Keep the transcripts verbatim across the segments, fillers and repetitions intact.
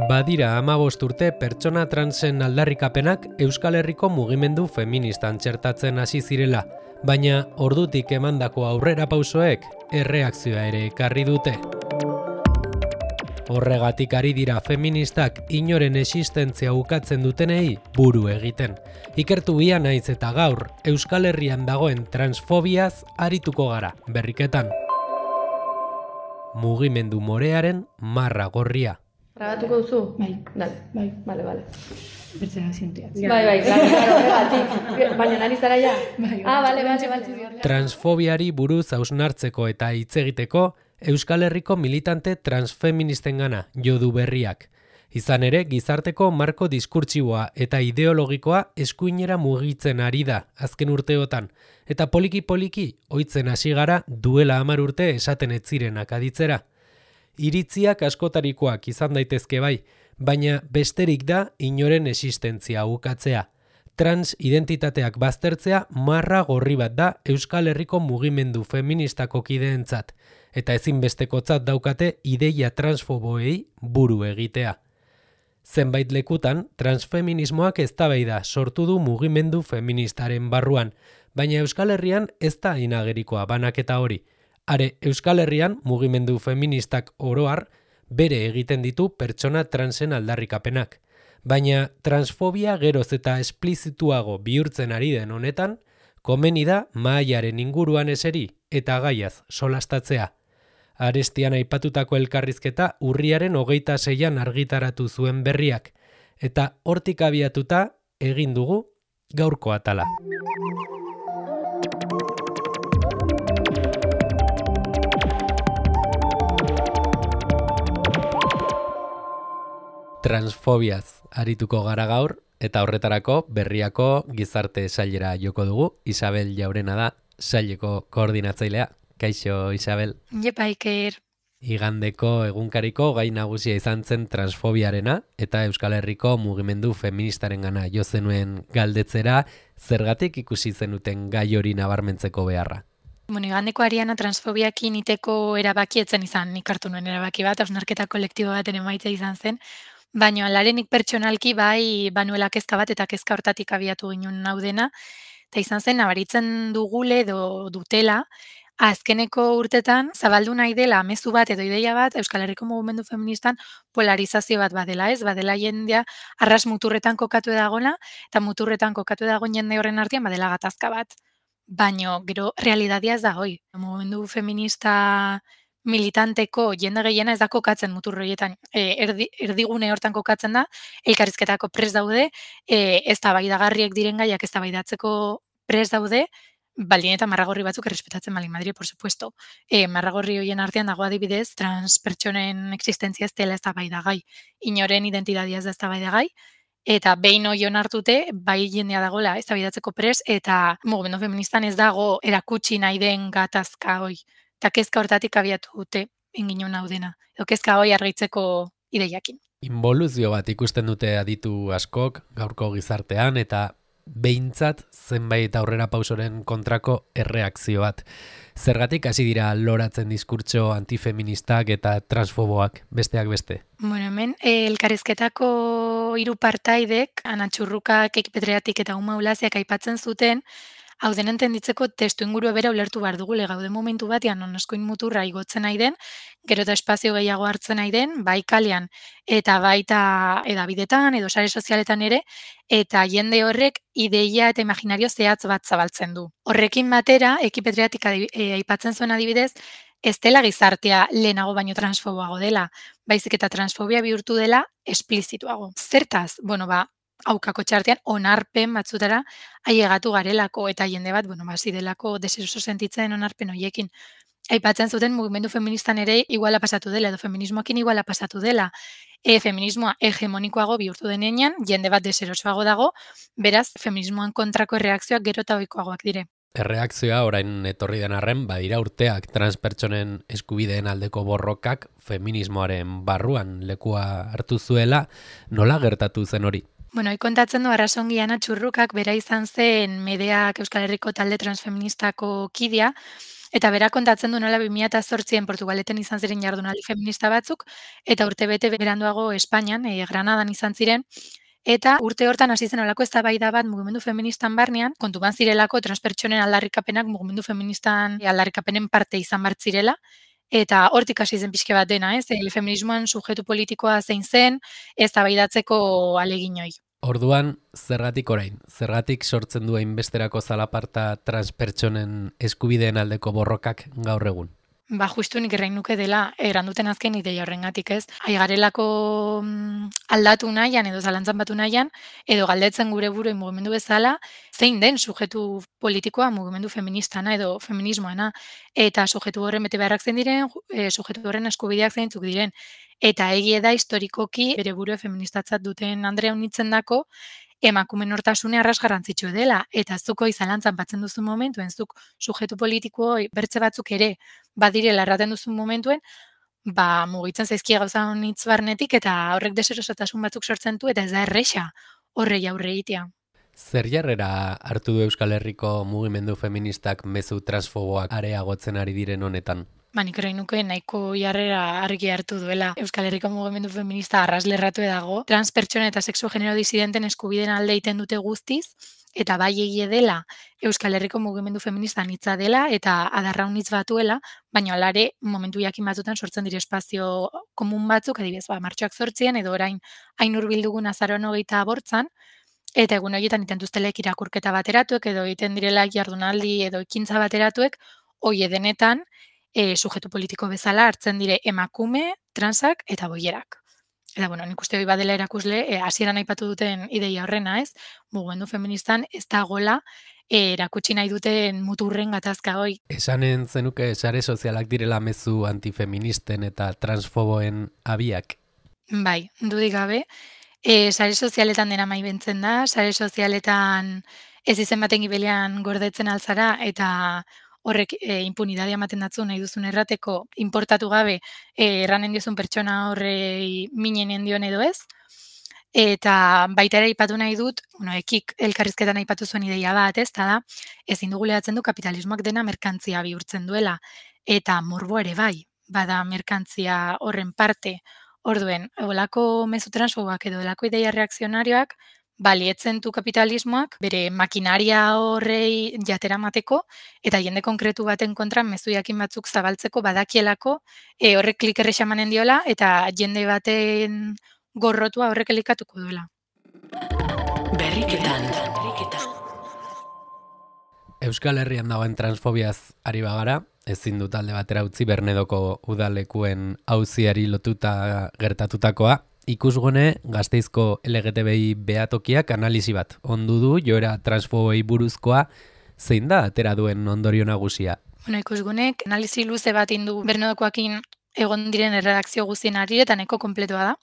Badira hamabost urte pertsona transen aldarrikapenak Euskal Herriko mugimendu feministan txertatzen hasi zirela, baina ordutik emandako aurrera pausoek erreakzioa ere ekarri dute. Horregatik ari dira feministak inoren existentzia ukatzen dutenei buru egiten. Ikertu bia naiz eta gaur Euskal Herrian dagoen transfobiaz arituko gara berriketan. Mugimendu morearen marra gorria. Grabatuko duzu? Bai. Dale. Bai. Vale, vale. Bertzera zientia. Bai, bai, claro, claro, horregatik. Baina nari zara ja? Bai. Ah, vale, vale, vale. Transfobiari buruz hausnartzeko eta hitz egiteko Euskal Herriko militante transfeministengana jo du berriak. Izan ere, gizarteko marko diskurtsiboa eta ideologikoa eskuinera mugitzen ari da azken urteotan, eta poliki-poliki ohitzen hasi gara duela hamar urte esaten ez zirenak aditzera. Iritziak askotarikoak izan daitezke bai, baina besterik da inoren existentzia ukatzea. Trans identitateak baztertzea marra gorri bat da Euskal Herriko mugimendu feministako kideentzat, eta ezinbestekotzat daukate ideia transfoboei buru egitea. Zenbait lekutan, transfeminismoak eztabaida sortu du mugimendu feministaren barruan, baina Euskal Herrian ez da inagerikoa banaketa hori. Are, Euskal Herrian mugimendu feministak oro har bere egiten ditu pertsona transen aldarrikapenak. Baina transfobia geroz eta esplizituago bihurtzen ari den honetan, komeni da mahaiaren inguruan eseri eta gaiaz solastatzea. Arestian aipatutako elkarrizketa urriaren hogeita seian argitaratu zuen berriak, eta hortik abiatuta egin dugu gaurko atala. Transfobiaz arituko gara gaur, eta horretarako berriako gizarte sailera joko dugu. Isabel Jaurena da, saileko koordinatzailea. Kaixo, Isabel. Jepa, Iker. Igandeko egunkariko gai nagusia izan zen transfobiarena, eta Euskal Herriko mugimendu feministarengana jo zenuen galdetzera, zergatik ikusi zenuten gai hori nabarmentzeko beharra. Bueno, igandeko Ariana transfobiakin iteko erabakietzen izan, nik hartu nuen erabaki bat, hausnarketa kolektibo baten emaitza izan zen, baina alarenik pertsonalki bai banuela kezka bat eta kezka hortatik abiatu ginen hau dena, eta izan zen nabaritzen dugule edo dutela, azkeneko urtetan zabaldu nahi dela mezu bat edo ideia bat Euskal Herriko mugimendu feministan polarizazio bat badela, ez? Badela jendea arras muturretan kokatu dagoela eta muturretan kokatu dagoen jende horren artean badela gatazka bat. Baino, gero realidadia ez da hoi. Mugimendu feminista militanteko jende gehiena ez da kokatzen mutur horietan. E, erdi, erdigune hortan kokatzen da, elkarrizketako prest daude, e, ez da baidagarriek diren gaiak ez da baidatzeko prest daude, baldin eta marragorri batzuk errespetatzen baldin Madrid, por supuesto. E, marragorri horien artean dago adibidez, trans pertsonen existentzia ez dela ez da baidagai. Inoren identitatea ez da ez da baidagai. Eta behin hori onartute, bai jendea dagoela ez da baidatzeko pres, eta mugimendu feministan ez dago erakutsi nahi den gatazka hoi. Eta kezka hortatik abiatu dute inginen hau dena. Edo kezka hoi argitzeko ideiakin. Involuzio bat ikusten dute aditu askok gaurko gizartean, eta behintzat zenbait aurrera pausoren kontrako erreakzio bat. Zergatik hasi dira loratzen diskurtso antifeministak eta transfoboak, besteak beste? Bueno, hemen elkarrizketako hiru partaidek, Ana Txurrukak, Ekipetreatik eta Uma Ulaziak aipatzen zuten, hau den entenditzeko testu inguru bera ulertu behar dugule gaude momentu batean non eskuin muturra igotzen nahi den, gero eta espazio gehiago hartzen nahi den, bai kalean eta baita edabidetan edo sare sozialetan ere, eta jende horrek ideia eta imaginario zehatz bat zabaltzen du. Horrekin batera, Ekipetreatik aipatzen zuen adibidez, ez dela gizartea lehenago baino transfoboago dela, baizik eta transfobia bihurtu dela esplizituago. Zertaz? Bueno, ba, aukako txartean onarpen batzutara ailegatu garelako eta jende bat, bueno, basi delako deseroso sentitzen onarpen hoiekin. Aipatzen zuten mugimendu feministan ere iguala pasatu dela, edo feminismoakin iguala pasatu dela. E, feminismoa hegemonikoago bihurtu denean, jende bat deserosoago dago, beraz, feminismoan kontrako erreakzioak gero eta ohikoagoak dire. Erreakzioa orain etorri den arren, badira urteak transpertsonen eskubideen aldeko borrokak feminismoaren barruan lekua hartu zuela, nola gertatu zen hori? Bueno, kontatzen du Arrasongi Ana Txurrukak bera izan zen Medeak Euskal Herriko talde transfeministako kidea, Eta berak kontatzen du nola bi mila zortzian Portugaleten izan ziren jardunaldi feminista batzuk, eta urte bete beranduago Espainian, e, Granadan izan ziren, eta urte hortan hasi zen olako eztabaida bat mugimendu feministan barnean, kontuan zirelako transpertsonen aldarrikapenak mugimendu feministan aldarrikapenen parte izan bar zirela, eta hortik hasi zen pixke bat dena, ez? El feminismoan subjektu politikoa zein zen, eztabaidatzeko aleginoi. Orduan, zergatik orain? Zergatik sortzen du hainbesterako zalaparta transpertsonen eskubideen aldeko borrokak gaur egun? Ba, justu nik errain nuke dela, eranduten azken ideia horrengatik, ez? Aigarelako mm, aldatu nahian edo zalantzan batu nahian, edo galdetzen gure buruen mugimendu bezala, zein den sujetu politikoa mugimendu feministana edo feminismoana, eta sujetu horren bete beharrak zein diren, e, sujetu horren eskubideak zeintzuk diren. Eta egie da historikoki bere burue feministatzat duten Andrea unitzen dako, emakume nortasune arras garrantzitsu dela, eta zuko izalantzan batzen duzu momentuen, zuk sujetu politiko bertze batzuk ere badirela erraten duzu momentuen, ba, mugitzen zaizkia gauza honitz barnetik, eta horrek deserosotasun batzuk sortzen du, eta ez da erresa horrei aurre egitea. Zer jarrera hartu du Euskal Herriko mugimendu feministak mezu transfoboak areagotzen ari diren honetan? Ba, nik erain nuke nahiko jarrera argi hartu duela. Euskal Herriko mugimendu feminista arraslerratu dago. Transpertsona eta sexu genero disidenten eskubideen alde egiten dute guztiz, eta bai egie dela Euskal Herriko mugimendu feminista anitza dela eta adarra unitz batuela, baina alare momentu jakin batzutan sortzen dire espazio komun batzuk, adibidez, ba, martxoak zortzien edo orain hain hurbildugun azaroan hogeita bortzan, eta egun horietan itentuztelek irakurketa bateratuek edo egiten direla jardunaldi edo ekintza bateratuek, hoi denetan e, sujetu politiko bezala hartzen dire emakume, transak eta boierak. Eta, bueno, nik uste hori badela erakusle, e, hasieran aipatu duten ideia horrena, ez? Mugimendu feministan ez dagoela e, erakutsi nahi duten muturren gatazka hoi. Esanen zenuke sare sozialak direla mezu antifeministen eta transfoboen abiak? Bai, dudik gabe. E, sare sozialetan dena mai bentzen da, sare sozialetan ez izen baten gibelean gordetzen altzara, eta horrek e, impunidadea ematen datzu nahi duzun errateko, importatu gabe e, erranen diozun pertsona horrei minenen dion edo ez. Eta baita ere aipatu nahi dut, bueno, ekik elkarrizketan aipatu zuen ideia bat, ez, da, ezin dugu lehatzen du kapitalismoak dena merkantzia bihurtzen duela, eta morbo ere bai, bada merkantzia horren parte. Orduen, olako mezu transfoboak edo olako ideia reakzionarioak, balietzen du kapitalismoak bere makinaria horrei jatera mateko, eta jende konkretu baten kontra mezu jakin batzuk zabaltzeko badakielako, e, horrek klik errexa emanen diola, eta jende baten gorrotua horrek elikatuko duela. Berriketan. Euskal Herrian dagoen transfobiaz ari bagara, ezin dut alde batera utzi Bernedoko udalekuen auziari lotuta gertatutakoa, ikusgone Gasteizko L G T B I behatokiak analisi bat ondu du joera transfoboi buruzkoa, zein da atera duen ondorio nagusia? Bueno, ikusgunek analisi luze bat indu Bernedokoakin egon diren erredakzio guztien ari eta nahiko kompletoa da.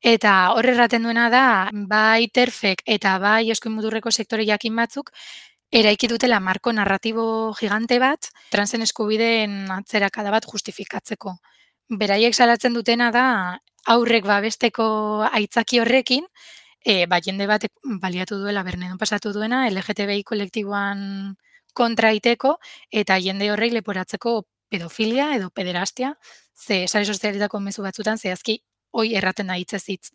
Eta horre erraten duena da, bai terfek eta bai eskuin muturreko sektore jakin batzuk, eraiki dutela marko narratibo gigante bat, transen eskubideen atzerakada bat justifikatzeko. Beraiek salatzen dutena da, aurrek babesteko aitzaki horrekin, e, ba, jende bat baliatu duela Bernedon pasatu duena, L G T B I kolektiboan kontra iteko, eta jende horrei leporatzeko pedofilia edo pederastia, ze sare sozialetako mezu batzutan zehazki hoi erraten da hitzez hitz.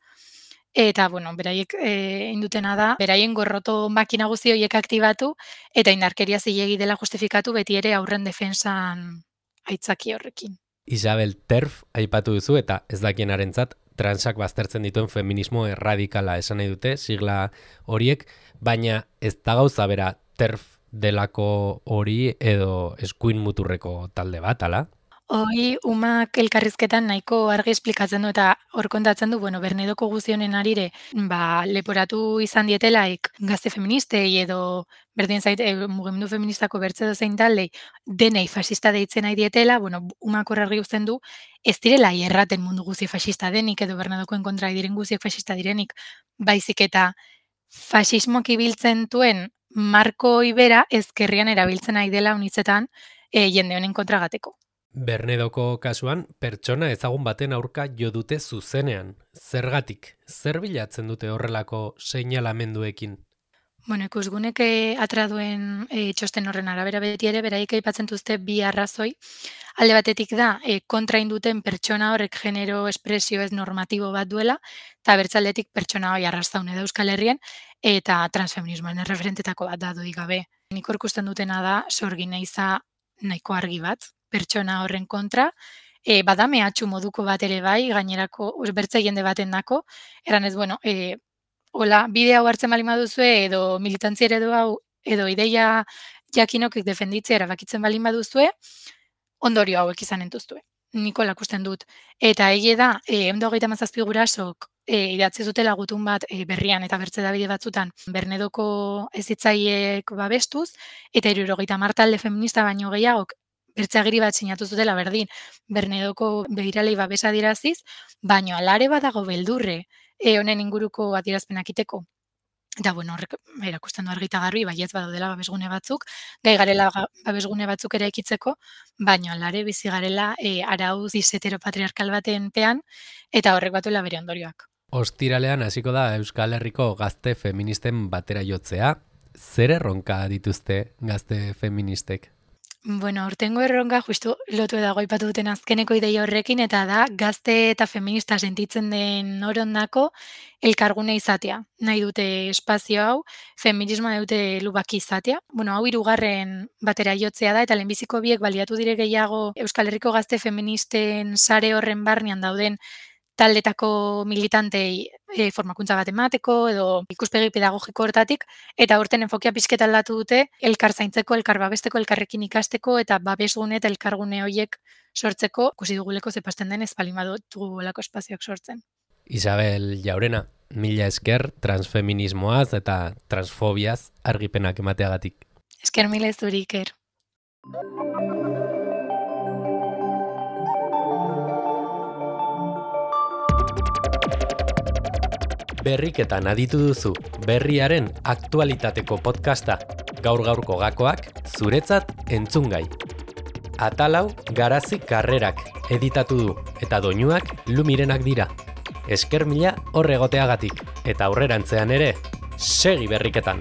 Eta, bueno, beraiek e, indutena da, beraien gorroto makina guzti horiek aktibatu, eta indarkeria zilegi dela justifikatu beti ere aurren defensan aitzaki horrekin. Isabel, TERF aipatu duzu eta ez dakienarentzat transak baztertzen dituen feminismo erradikala esan nahi dute, sigla horiek, baina ez da gauza bera TERF delako hori edo eskuin muturreko talde bat, ala? Hoi, umak elkarrizketan nahiko argi esplikatzen du eta hor kontatzen du, bueno, Bernedoko guztionen arire, ba, leporatu izan dietelaik gazte feministei edo berdin zait, e, mugimendu feministako bertze dozein taldei, denei fasista deitzen nahi dietela, bueno, umak hor argi uzten du, ez direla erraten mundu guzi fasista denik edo Bernedokoen kontra diren guziek fasista direnik, baizik eta fasismoak ibiltzen duen marko ibera ezkerrian erabiltzen nahi dela unitzetan e, jende honen kontra gateko. Bernedoko kasuan, pertsona ezagun baten aurka jo dute zuzenean. Zergatik, zer bilatzen dute horrelako seinalamenduekin? Bueno, ikusgunek eh, atera duen eh, txosten horren arabera beti ere, beraik aipatzen duzte bi arrazoi. Alde batetik da, eh, kontrain duten pertsona horrek genero espresio ez normatibo bat duela, eta bertzaldetik pertsona hori arrastaune da Euskal Herrien, eta transfeminismoen erreferentetako bat da dudik gabe. Nik hor ikusten dutena da, sorgin eiza nahiko argi bat, pertsona horren kontra, e, bada mehatxu moduko bat ere bai, gainerako, bertze jende baten dako, eran ez, bueno, e, hola, bide hau hartzen bali baduzue, edo militantzia eredu hau, edo ideia jakinokik defenditzea erabakitzen bali baduzue, ondorio hauek izan entuztue. Niko lakusten dut. Eta egie da, e, ehun eta hogeita hamazazpi gurasok e, idatzi zutela gutun bat e, berrian eta bertze dabide batzutan Bernedoko hezitzaileek babestuz, eta hirurogeita hamar talde feminista baino gehiagok bertzeagiri bat sinatu zutela berdin Bernedoko begiralei babesa adiraziz, baino alare badago beldurre e, honen inguruko adierazpenak iteko. Eta, bueno, horrek erakusten du argita garbi, baietz badaudela babesgune batzuk, gai garela babesgune batzuk ere ekitzeko, baino alare bizi garela e, arau heteropatriarkal baten pean, eta horrek batuela bere ondorioak. Ostiralean hasiko da Euskal Herriko gazte feministen batera jotzea. Zer erronka dituzte gazte feministek? Bueno, urtengo erronka justu lotu dago aipatu duten azkeneko ideia horrekin, eta da gazte eta feminista sentitzen den orondako elkargune izatea. Nahi dute espazio hau, feminismoa dute lubaki izatea. Bueno, hau hirugarren batera jotzea da, eta lehenbiziko biek baliatu dire gehiago Euskal Herriko gazte feministen sare horren barnean dauden taldetako militantei e, formakuntza bat emateko edo ikuspegi pedagogiko hortatik, eta urten enfokia pixket aldatu dute elkar zaintzeko, elkar babesteko, elkarrekin ikasteko eta babesgune eta elkargune horiek sortzeko, ikusi duguleko zepasten den ez balin badutu olako espazioak sortzen. Isabel Jaurena, mila esker transfeminismoaz eta transfobiaz argipenak emateagatik. Esker mila ez duri, Iker. Berriketan aditu duzu berriaren aktualitateko podcasta, gaur-gaurko gakoak zuretzat entzungai. Atalau Garazi Karrerak editatu du eta doinuak Lumirenak dira. Esker mila hor egoteagatik eta aurrerantzean ere segi berriketan.